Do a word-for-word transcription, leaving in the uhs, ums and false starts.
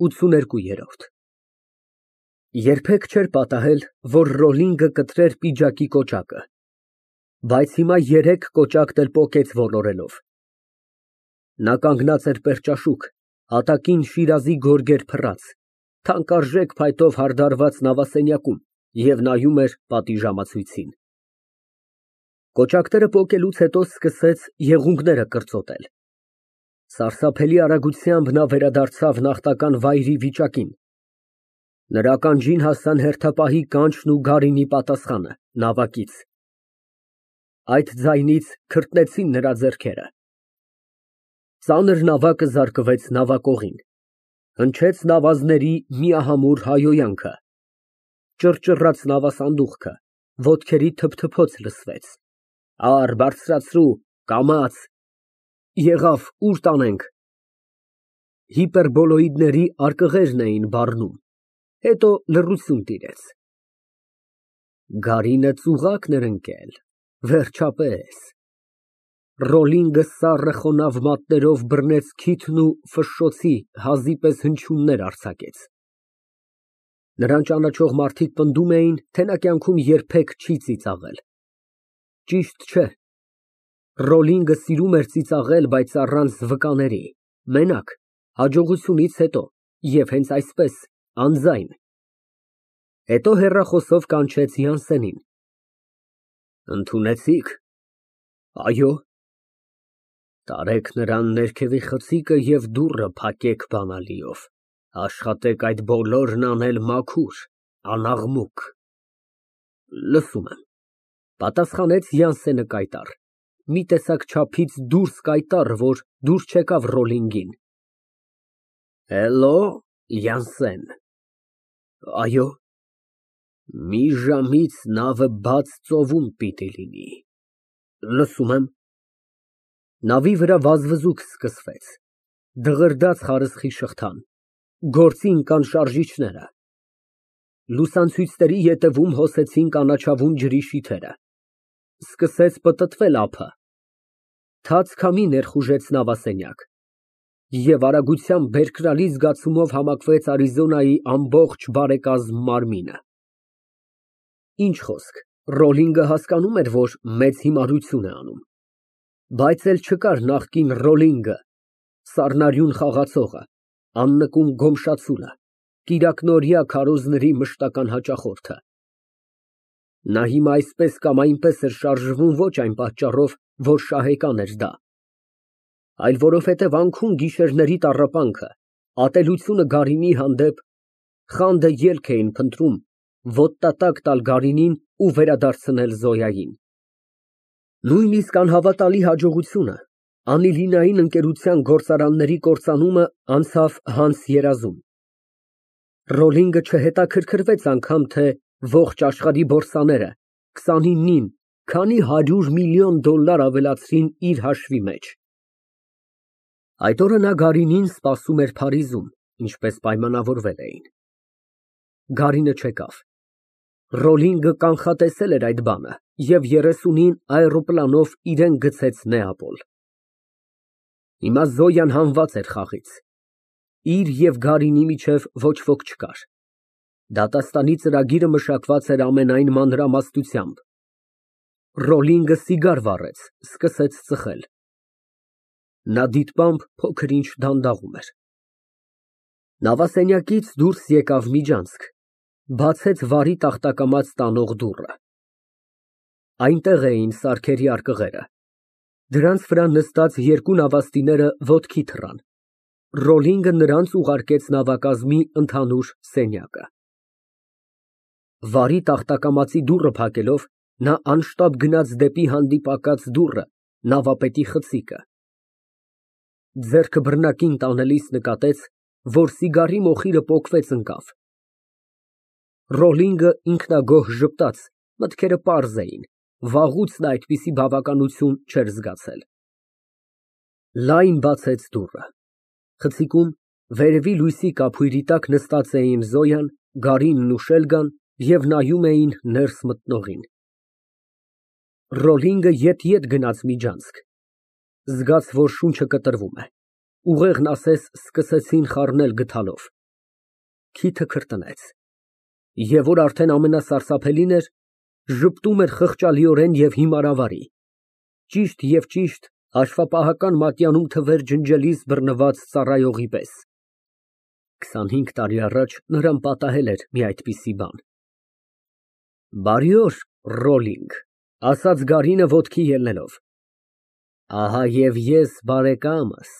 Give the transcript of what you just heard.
ՈՒթսուներկու։ Երբեք չէր պատահել, որ Ռոլինգը կտրեր պիջակի կոճակը, բայց հիմա երեք կոճակն էլ պոկեց ոլորելով։ Նա կանգնած էր պերճաշուք, հատակին շիրազի գորգեր փռած, թանկարժեք փայտով հարդարված նավասենյակում և նայում էր պատիժամացույցին։ Կոճակները պոկելուց հետո սկսեց եղունգները կրծոտել։ Սարսափելի արագությամբ նա վերադարձավ նախնական վայրի վիճակին։ Նրա ականջին հասան հերթապահի կանչն ու գարինի պատասխանը նավակից։ Այդ ձայնից քրտնեցին նրա ձեռքերը։ Ծանր նավակը զարկվեց նավակողին։ Հնչեց նավազների միահամուռ հայհոյանքը։ Ճռճռաց նավասանդուղքը, ոտքերի թփթփոց լսվեց։ Առ, բարձրացրու, կամաց։ Եղավ, ուր տանենք։ Հիպերբոլոիդների արկղերն էին բառնում, հետո լռություն տիրեց։ Գարինը ծուղակն էր ընկել, վերջապես։ Ռոլինգը սառը խոնավ մատներով բռնեց քիթն ու ֆշշոցի հազի պես հնչյուններ արձակեց։ Նրան ճանաչող մարդիկ պնդում էին, թե նա կյանքում երբեք չի ծիծաղել։ Ճիշտ չէ։ Ռոլինգը սիրում էր ծիծաղել, բայց առանց վկաների, մենակ, հաջողությունից հետո և հենց այսպես, անձայն։ Հետո հեռախոսով կանչեց Յանսենին։ Ընդունեցի՞ք։ Այո։ Տարեք նրան ներքևի խցիկը և դուռը փակեք բանալիով, աշխատեք այդ բոլորն անել մաքուր, անաղմուկ։ Լսում եմ, պատասխանեց Յանսենը կայտառ, մի տեսակ չափից դուրս կայտառ, որ դուր չեկավ Ռոլինգին։ Հելլո, Յանսեն։ Այո։ Մի ժամից նավը բաց ծովում պիտի լինի։ Լսում եմ։ Նավի վրա վազվզուք սկսվեց, դղրդաց խարսխի շղթան, գործի ընկան շարժիչները։ Լուսանցույցների ետևում հոսեցին կանաչավուն ջրի շիթերը։ Սկսեց պտտվել ափը։ Թաց քամի ներխուժեց նավասենյակ, և արագությամբ բերկրալի զգացումով համակվեց Արիզոնայի ամբողջ բարեկազմ մարմինը։ Ինչ խոսք, Ռոլինգը հասկանում էր, որ մեծ հիմարություն է անում, բայց էլ չկար նախկին Ռոլինգը, սառնարյուն խաղացողը, աննկուն գոմշացուլը, կիրակնօրյա քարոզների մշտական հաճախորդը։ Նա հիմա այսպես կամ այնպես էր շարժվում ոչ այն պատճառով, որ շահեկան էր դա, այլ որովհետև անքուն գիշերների տառապանքը, ատելությունը գարինի հանդեպ, խանդը ելք էին փնտրում ոտնատակ տալ գարինին ու վերադարձնել Զոյային։ Նույնիսկ անհավատալի հաջողությունը, Անիլինային ընկերության գործարանների կործանումը անցավ Հանս երազում։ Ռոլինգը չհետաքրքրվեց անգամ, թե ողջ աշխարհի բորսաները քսանինին քանի հարյուր միլիոն դոլար ավելացրին իր հաշվի մեջ։ Այդ օրը նա գարինին սպասում էր Փարիզում, ինչպես պայմանավորվել էին։ Գարինը չեկավ։ Ռոլինգը կանխատեսել էր այդ բանը և երեսունին այռոպլանով իրան գցեց Նեապոլ։ Հիմա Զոյան հանված էր խաղից։ Իր և գարինի միջև ոչ ոք չկար։ Դատաստանի ծրագիրը մշակված էր ամենայն մանրամասնությամբ։ Ռոլինգը սիգար վառեց, սկսեց ծխել։ Նա դիտմամբ փոքր ինչ դանդաղում էր։ Նավասենյակից դուրս եկավ Միջանցք, բացեց վարի տախտակամած տանող դուռը։ Այնտեղ էին սարքերի արկղերը։ Դրանց վրա նստած երկու նավաստիները ոտքի թռան։ Ռոլինգը նրանց ուղարկեց նավակազմի ընդհանուր սենյակը։ Վարի տախտակամածի դուռը փակելով, նա անշտապ գնաց դեպի հանդիպակաց դուռը, նավապետի խցիկը։ Ձեռքը բռնակին տանելիս նկատեց, որ սիգարի մոխիրը պոկվեց ընկավ։ Ռոլինգը ինքնագոհ ժպտաց, մտքերը պարզ էին, վաղուց նա այդպիսի բավականություն չէր զգացել։ Լայն բացեց դուռը։ Խցիկում, վերևի լույսի կափույրի տակ նստած էին Զոյան, Գարինն ու Շելգան և նայում էին ներս մտնողին։ Ռոլինգը ետ֊ետ գնաց Միջանցք, զգաց, որ շունչը կտրվում է, ուղեղն ասես սկսեցին խառնել գդալով։ Քիթը քրտնեց, և որ արդեն ամենասարսափելին էր, ժպտում էր խղճալիորեն և հիմարավարի, ճիշտ և ճիշտ հաշվապահական մատյանում թվեր ջնջելիս բռնված ծառայողի պես։ Քսանհինգ տարի առաջ նրան պատահել էր մի այդպիսի բան։ Բարի օր, Ռոլլինգ, ասաց գարինը ոտքի ելնելով, ահա և ես բարեկամս։